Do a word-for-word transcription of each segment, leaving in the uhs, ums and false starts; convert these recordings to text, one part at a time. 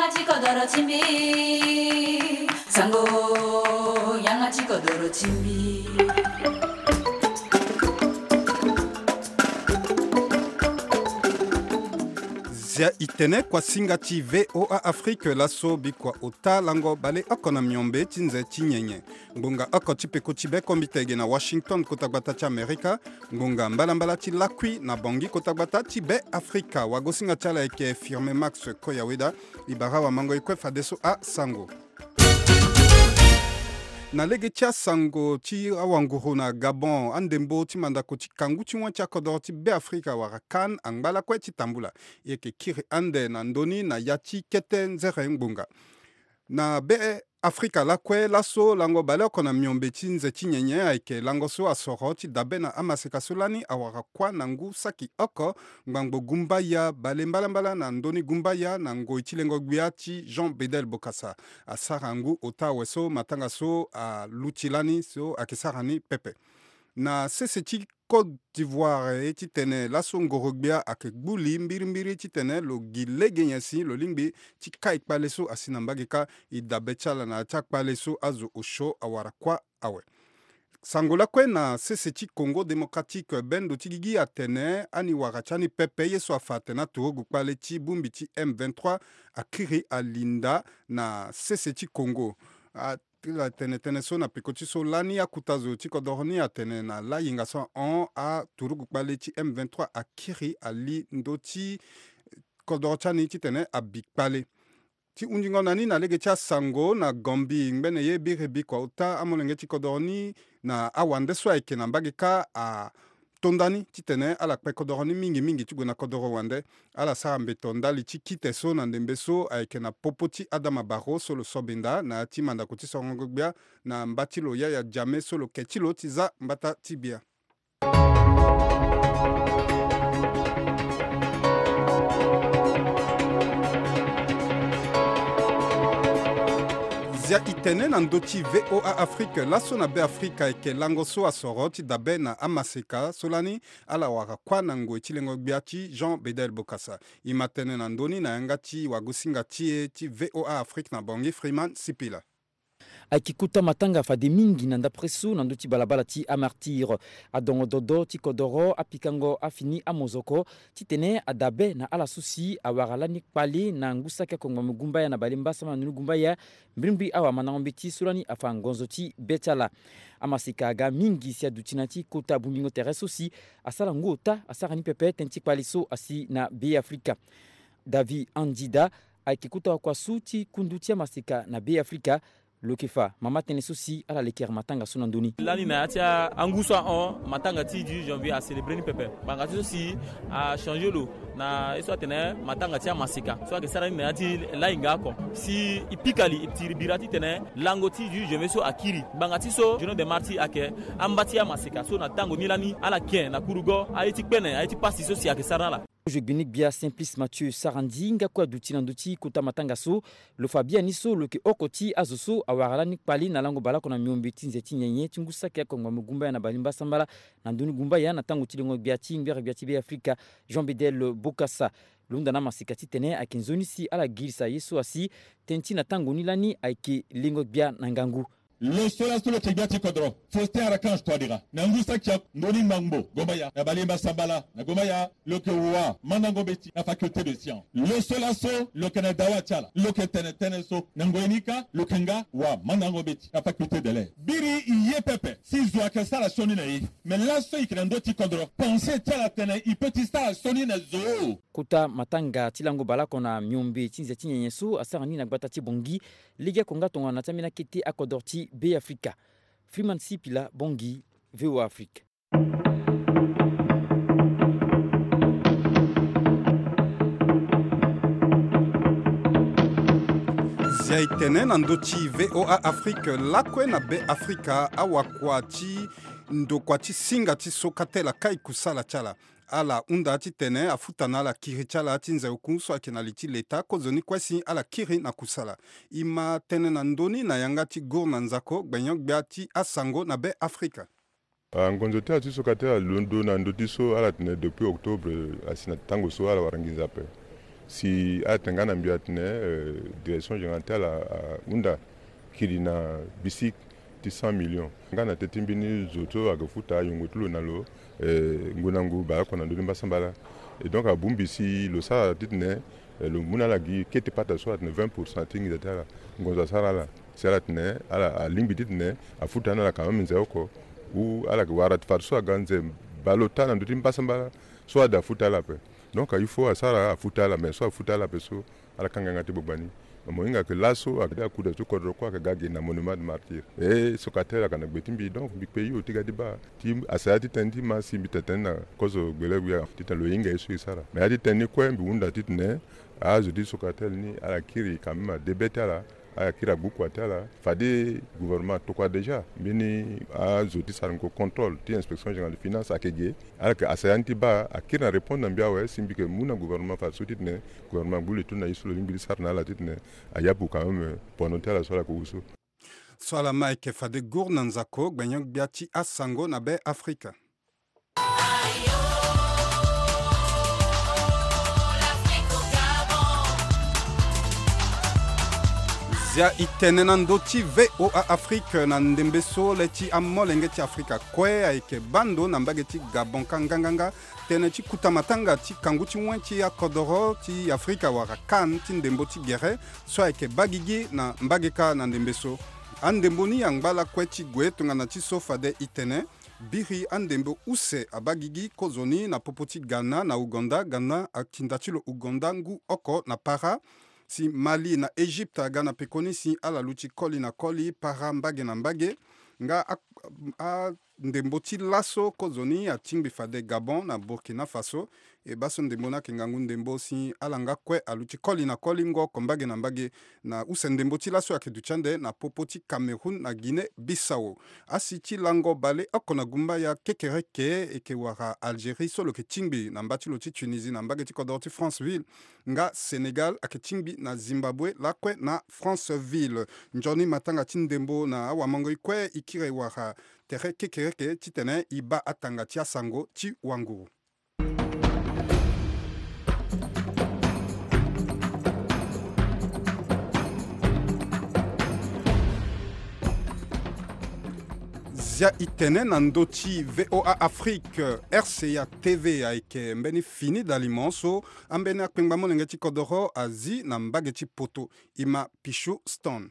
Ti kodoro ti mbi, sango, yanga ti kodoro ti mbi. Zia i tene kua singa ti V O A Afrique laso bikua ota lango baleoko na miombe ti nze ti nyenye. Ngbonga oko ti peko ti be kombite ge na Washington, kota gbata ti Amerika. Ngbonga mbalambala ti lakui na Bangui, kota gbata ti be Afrika. Wagosinga ti ala ayeke Firme Max Koyaweda. I bara wamango e kue fadeso asango. Na lege ti asango ti awanguru na Gabon, andembo ti mandako ti kangu ti wen ti akodoro ti be Afrika wala CAN angba lakue ti tambula. E yeke kiri ande na ndö ni na ya ti kete nzere ngbonga. Na be Afrika lakue laso, lango baleoko na miombe ti nze ti nyenye ayeke lango so asoro ti dabe na amaseka so lani awara kuâ na ngu saki oko ngbangbo gumbaya bale mbalambala na ndö ni gumbaya na ngoi ti lengo gbia ti Jean Bedel Bokassa. Asara ngu ota awe so matanga so aluti lani so ayeke sara ni pepe. Na sese ti Côte d'Ivoire, e titene laso ngoro-gbia ayeke gbu li mbirimbiri titene lo gi lege nyen si lo lingbi ti kai kpale so asi na mbage kâ. E dabe ti ala na ya ti akpale so azo osio awara kuâ awe. Sango lakue na sese ti Congo Démocratique, bendo ti gigi atene ani wara ti ani pepe ye so afa atene aturugu kpale ti bongbi ti M vingt-trois akiri ali nda na sese ti Congo. A Ti la tene tënë so na peko ti so lani akuta zo ti kodoro ni atene na layenga so ahon aturugu kpale ti M vingt-trois akiri ali ndö ti kodoro ti ani titene abi kpale. Ti hundingo na ni na lege ti asango na Gambie, ngbene ye biri bikua ota amolenge ti kodoro ni na awande so ayeke na mbage kâ a to nda ni titene ala kpe kodoro ni mingi mingi ti gue na kodoro wande. Ala sara mbeto ndali ti kite so na ndembe so ayeke na popo ti Adama Barrow so lo sobenda na ya ti mandako ti sorongo gbia na mba ti lo Yaya Jammeh so lo ke ti lo ti za mbata ti gbia. Zia i tene na ndö ti V O A Afrique laso na Be Afrika ayeke lango so asoro ti dabe na amaseka so lani ala wara kuâ na ngoi ti lengo gbia ti Jean Bedel Bokassa. E ma tene na ndö ni na yanga ti wagosinga ti e ti V O A Afrique na Bangui, Freeman Sipila. Ayeke kota matanga fade mingi na ndapre so na ndö ti balabala ti amartyre. Adongo dodo ti kodoro, apikango afini amozoko titene adabe na ala so si awara lani kpale na ngu saki oko ngbangbo gumbaya na bale mbasambala na ndoni gumbaya, mbirimbiri awamandango mbeti so lani afa ngonzo ti be ti ala. Amaseka aga mingi si aduti na ya ti kota bongbingo tere so si asara ngu ota asara ni pepe tënë ti kpale so asi na Be Afrika. David Andida ayeke kota wakua so ti kundu ti amaseka na Be Afrika. Lo yeke fa mama tënë so si ala lekere matanga so na ndö ni. Lani na ya ti angu so ahon, matanga ti dix-huit janvier acélébré ni pepe. Ngbanga ti so si achangé lo na ye so atene matanga ti amaseka so ayeke sara ni na ya ti lahinga oko. Si e pika li, e tiri bira titene lango ti dix-huit janvier so akiri. Ngbanga ti so Journée des Martyrs ayeke amba ti amaseka so na tango ni lani ala ken na kurugo aye ti kpene, aye ti pasi so si ayeke sara na ala. Kozo gbeni gbia Simplice Mathieu Sarandji nga kue aduti na ndö ti kota matanga so. Lo fa biani so lo yeke oko ti azo so awara lani kpale na lango baleoko na miombe ti nze ti nyenye ti ngu saki oko ngbangbo gumbaya na bale mbasambala na ndoni gumbaya na tango ti lengo gbia ti ngbere gbia ti Be Afrika, Jean Bedel Bokassa. Lo hunda na amaseka titene ayeke nzoni si ala girisa ye so asi tënë ti na tango ni lani ayeke lengo gbia na ngangu. Lo so laso lo yeke gbia ti kodro, Faustin Archange Touadéra, na ngu saki oko ndoni ngbangbo gumbaya na bale mbasambala na gumbaya, lo yeke wamandango mbeti na faculté de science. Lo so laso lo yeke na dawa ti ala, lo yeke tene tënë so na ngoi ni kâ lo yeke nga wamandango mbeti na faculté de lettres. Biri e ye pepe si zo ayeke sara sioni na e. Me laso e yeke na ndö ti kodro, pensée ti ala atene e peut ti sara sioni na zo. Kota matanga ti lango baleoko na miombe ti nze ti nyenye so asara ni na gbata ti Bangui, legeoko nga tongana na ti ambeni akete akodro ti Be Afrika. Freeman Sipila, Bangui, V O A Afrique. Zia e tene na ndö ti V O A Afrique lakue na Be Afrika, awakua ti ndokua ti singa ti sokatela kai kusala ti ala. Ala hunda titene afuta na ala kiri ti ala ti nze oku so ayeke na li ti leta, kozoni kue si ala kiri na kusala. E ma tene na ndö ni na yanga ti Gour na Nzako, gbenyo-gbia ti asango na Be Afrika. Ah, ngonzo ti ala ti sokatela alondo na ndö ti so ala tene depuis octobre, asi na tango so ala wara nginza ape. Si ala tene nga na mbi atene, eh, direction générale ti ala ahunda kiri na bisi ti cent millions. Nga na teti mbeni zo so ayeke futa ayongo ti lo na lo, eh, ngu na ngu baleoko na ndö ti mbasambala. Et donc abongbi si lo sara titene, eh, lo mu na ala gi kete pata so atene vingt pour cent ti nginza ti ala. Ngonzo asara ala. Si ala tene, ala alingbi titene afuta na ala quand même nze oko. Ou ala yeke wara ti fadeso aga nze baleota na ndö ti mbasambala. So ada afuta ala ape. Donc il faut asara afuta ala, mais so afuta ala ape so, ala kanga yanga ti gbagba ni. Mo hinga ke laso ayeke akuda ti kodro kue ayeke ga gi na monument de martyr. E so ka tene ayeke na gbe ti mbi, donc mbi kpe hio ti ga ti baa ti asaya ti tënë ti ma si mbi tene tënë na kozo gbele wia titene lo hinga ye so e sara. Mais ya ti tënë ni kue mbi hunda titene azo ti so ka tene ni ala kiri quand même adebe ti ala. Ala kiri agbu kua ti ala. Fade gouvernement atokua déjà mbeni azo ti sarango contrôle ti inspection générale de finance ayeke ge. Ala yeke asaya ni ti baa akiri na répondre na mbi awe si mbi yeke mu na gouvernement fadeso titene gouvernement agbu le ti lo na ye so lo lingbi ti sara na ala titene ayapu quand même pono ti ala so ala yeke wu so. So ala ma ayeke fade gour na nzako gbenyo-gbia ti asango na be Afrika. Zia e tene na ndö ti V O A Afrique na ndembe so le ti amolenge ti Afrika kue ayeke baa ndo na mbage ti Gabon ka nganganga. Tënë ti kuta matanga ti kangu ti wen ti akodoro ti Afrika wala CAN ti ndembo ti gere so ayeke baa gigi na mbage ka na ndembe so. Andembo ni angba lakue ti gue tongana ti so fade e tene biri andembo use abaa gigi kozoni na popo ti Ghana na Ouganda. Ghana atinda ti lo Ouganda ngu oko na para. Si Mali na Égypte aga na pekoni si ala luti koli na koli, para mbage na mbage. Nga a, a ndembo ti laso kozoni atingbi fade Gabon na Burkina Faso. E baa so ndembo ni ayeke ngangu ndembo si ala nga kue aluti koli na koli ngu oko mbage na mbage. Na use ndembo ti laso ayeke duti ande na popo ti Cameroun na Guinée Bissau. Asi ti lango baleoko na gumbaya kekereke eke wara Algérie so lo yeke tingbi na mba ti lo ti Tunisie na mbage ti kodoro ti Franceville. Nga Sénégal ayeke tingbi na Zimbabwe lakue na Franceville. Nzoni matanga ti ndembo na awamangoi kue e kiri wara tere kekereke titene e baa atanga ti asango ti wanguru. Zia e tene na ndö ti V O A Afrique, R C A T V ayeke mbeni fini dalimo so ambeni akpengba molenge ti kodoro azi na mbage ti poto. E ma Pichou Stone.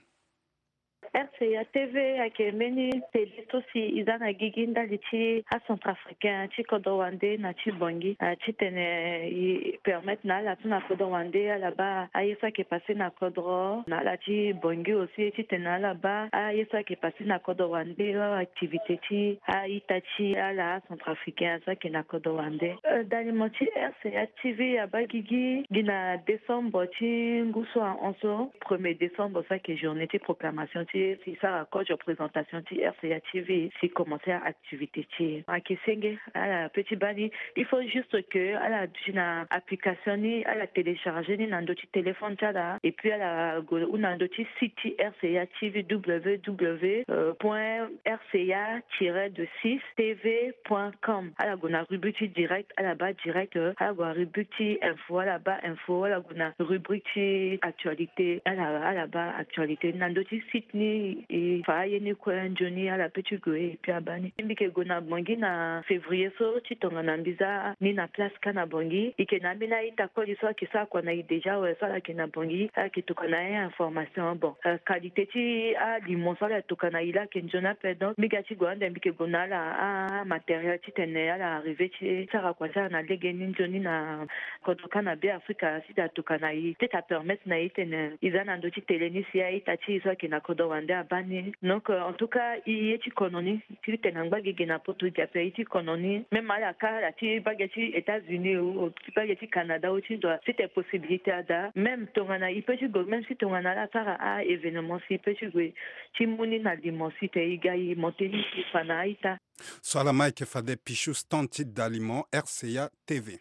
R C A T V ayeke mbeni télé so si e za na gigi ndali ti acentrafricain ti kodro wande na ti Bangui, ah, titene e permettre na ala so na kodro wande ala baa aye so ayeke passe na kodro na ala ti Bangui aussi, titene ala baa aye so ayeke passe na kodro wande, activité ti a-ita ti ala acentrafricain so ayeke na kodro wande. Euh, dalimo ti R C A T V abaa gigi gi na décembre ti ngu so ahon so, premier décembre so ayeke journée ti proclamation ti e, si sara kozo présentation ti R C A T V, si commencer activité ti e. Ayeke senge, ala peut ti baa ni, il faut juste que ala duti na application ni, ala télécharger ni na ndö ti téléphone ti ala, et puis ala gue hunda na ndö ti site ti R C A T V, W W W point R C A tiret de six T V point com. Ala gue na rubrique ti direct, ala baa direct, euh, ala gue na rubrique ti info, ala baa info, ala gue na rubrique ti actualité, ala, ala baa actualité. Na ndö ti site ni e fa aye ni kue nzoni, ala peut ti gue et puis abaa ni. Mbi yeke gue na Bangui na février so ti tongana mbi za ni na place kâ na Bangui. E yeke na ambeni a-ita koli so ayeke sara kua na e déjà awe so ala yeke na Bangui, ala yeke tokua na e information. Bon, euh, qualité ti alimo so ala yeke tokua na e laa ayeke nzoni ape. Donc mbi ga ti gue ande mbi yeke gue na ala amatériel titene ala arriver ti sara kua ti ala na lege ni nzoni na kodro kâ na Be Afrika si tena atokua na e, peut-être apermettre na e titene e za na ndö ti télé ni si a-ita ti e so ayeke na kodro wande abaa ni. Donc, euh, en tout cas, e ye ti kono ni, titene angba gigi na poto gi ape, e ye ti kono ni. Même ala kâ ala ti bage ti États-Unis ou ti bage ti Canada ou ti ndo, si tene possibilité ada, même tongana e peut ti gue, même si tongana ala sara a-événement si e peut ti gue ti mu ni na limo si tene e ga e monter ni si e fa na a-ita. So ala ma ayeke fade Pichou Stone ti dalimo, R C A T V.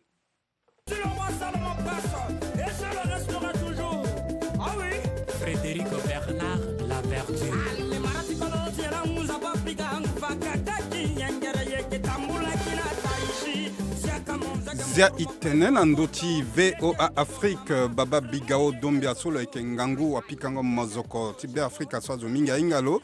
Frédéric Bernard, la verdure. Dia itene na ndo ti V O A Afrique, Baba Bigao Dombia so lo yeke ngangu wa pikango mozoko ti Be Afrika so azo mingi ahinga lo.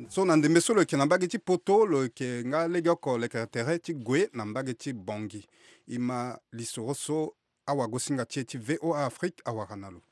So na ndembe so lo yeke na mbage ti poto, lo yeke nga legeoko lekere tere ti gue na mbage ti Bangui. E ma lisoro so awagosinga ti e ti V O A Afrique awara na lo.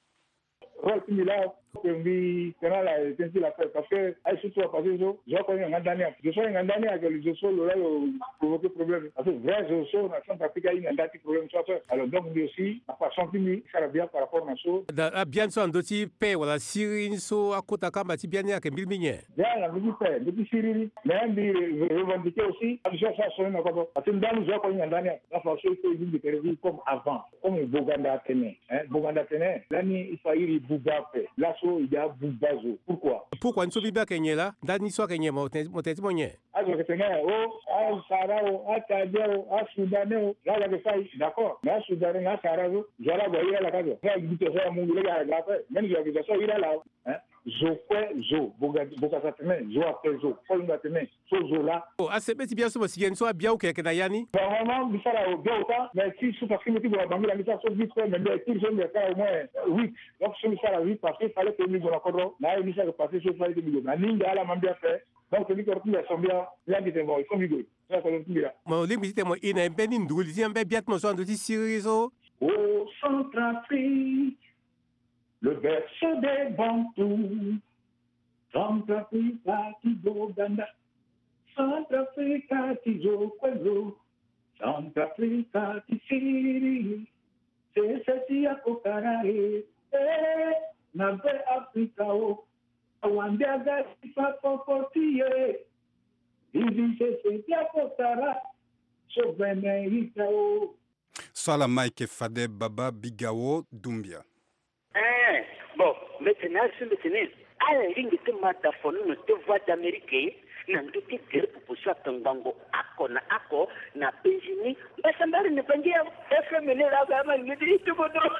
Rôle ti mbi laa, que mbi tene ala tene ti la paix, parce que aye so so apassé so, zo oko ahinga nga ndani ape. Zo so ahinga ndani ayeke zo so lo laa lo provoquer problème. Parce que vrai zo so na Centrafrique ahinga nda ti problème so ape. Alors donc mbi aussi na façon ti mbi sara bien par rapport na so. Na abiani so na ndö ti paix wala siriri ni so akota kamba ti biani ayeke mbiri mingi. Bien na ndö ti paix, ndö ti siriri. Mais mbi revendiquer aussi action so asoni na kodro. Parce que ndani zo oko ahinga ndani ape. Nga façon il faut e lingbi tere ti comme avant. Comme Boganda atene, hein, Boganda atene, lani il faut a iri buba ape. Laso e yeke abuba zo. Pourquoi? Pourquoi ni so mbi be ayeke nyen laa? Ndani so ayeke nyen mo tene, mo tene ti mo nyen? Azo ayeke tene o, asara o, atadia o, asoudanais o, laa lo yeke fâ e, d'accord. Mais asoudanais na asara so, zo laa ague a iri ala ka zo. Nga gbuta so amu lo lege ala ga ape. Même zo ayeke zo so a iri ala o. Hein? Zo kue zo, Boga, Bokasa atene, zo ape zo, Kolonga atene. So zo laa. Oh, asebe ti bia so mo sigi ni so abia oke ayeke na ya ni. Normalement mbi sara bia ota, mais ti so parce que mbi ti gue na Bangui la mbi sara so vite fait, mais mbi ayeke ti so mbi asara au moins huit. Donc so mbi sara huit parce que fallait que mbi gue na kodro, na aye mbi sara passé so fallait que mbi gue. Na ninga ala ma mbi ape. Donc mbi kodro ti mbi aso mbi a, mbi andi tene bon il faut mbi gue. Mbi na kodro ti mbi laa. Mo lingbi ti tene mo e na e mbeni nduru li ti ambeni bia ti mo so na ndö ti siriri so. Au Centrafrique, le berceau des Bantous. Centrafrique ti Boganda, Centrafrique ti zo kue zo, Centrafrique ti siriri, sese ti akokara e, e, na Be Afrika o, awande aga ti fa koko ti e, izi sese ti akokara, so vene ita o. So ala ma ayeke fade Baba Bigao Dumbia. Eh, bon, mbi tene azo mbi tene ala lingbi ti ma da fonono ti Voix d'Amérique na ndö ti gere pupu so atongbango oko na oko na Benjini. Mbasambari ni Bangui ya F M ni laa ba ama ni ti ti kodro.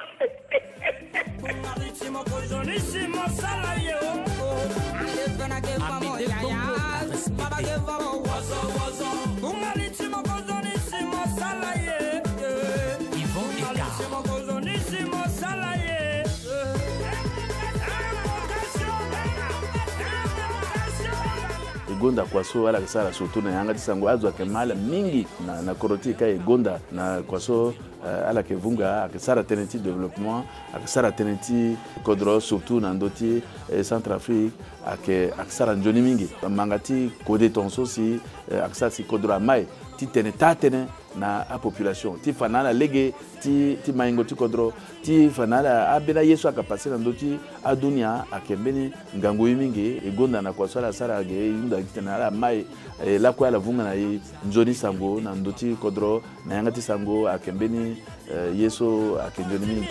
E gonda kua so ala yeke sara surtout na yanga ti sango, azo ayeke ma ala mingi na, na kodro ti e ka e gonda na kua so, eh, ala yeke vunga, ayeke sara tënë ti développement, ayeke sara tënë ti kodro surtout na ndö ti, eh, Centrafrique, ayeke, ayeke sara nzoni mingi. Manga ti kode tongaso si, eh, ayeke sara si kodro amai ti tene taa tënë na apopulation ti fa na ala lege ti, ti maingo ti kodro, ti fa na ala ambeni aye so ayeke passé na ndö ti adunia ayeke mbeni ngangu ye mingi. E gonda na kua so ala sara ge, e hunda gi titene ala mai, eh, lakue ala vunga na e nzoni sango na ndö ti kodro na yanga ti sango ayeke mbeni, eh, ye so ayeke nzoni mingi.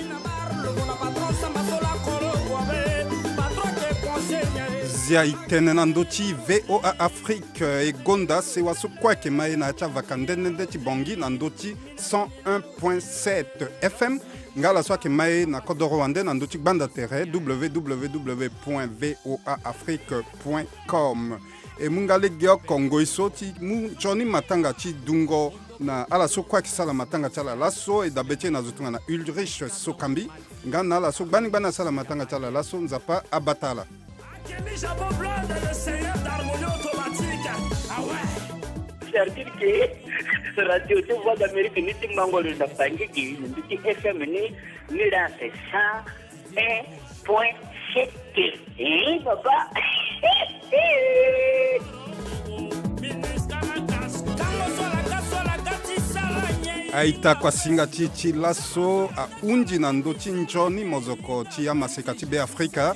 Zia e tene na ndö ti V O A Afrique, eh, e gonda sewa so kue ayeke ma e na ya ti avaka nde nde nde ti Bangui na ndö ti cent un point sept F M. Nga ala so ayeke ma e na kodoro wande na ndö ti gbanda tere, W W W point V O A Afrique point com. E mu nga legeoko ngoi so ti mu nzoni matanga ti dungo na ala so kue ayeke sara matanga ti ala laso. E dabe ti e na zo tongana Ulrich Sokambi nga na ala so gbani gbani asara matanga ti ala laso. Nzapa abata ala. C'est-à-dire que Radio de Voix d'Amérique ni ti mango lo na Bangui gi ni ti F M ni, ni la c'est cent un point sept. Eh, papa. Aita kuasinga ti e ti laso ahunzi na ndö ti nzoni mozoko ti amaseka ti Be Afrika.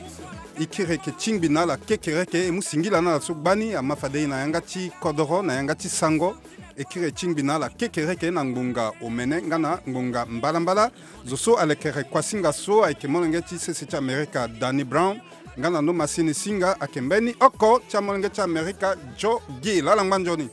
E kiri eke tingbi na ala kekereke, e mu singila na ala so gbani ama fade e na yanga ti kodoro, na yanga ti sango. E kiri e tingbi na ala kekereke na ngbonga omene nga na ngbonga mbalambala. Zo so alekere kuasinga so ayeke molenge ti sese ti Amerika Danny Brown, nga na ndo masini singa ayeke mbeni oko ti amolenge ti Amerika Joe Gill. Ala ngba nzoni.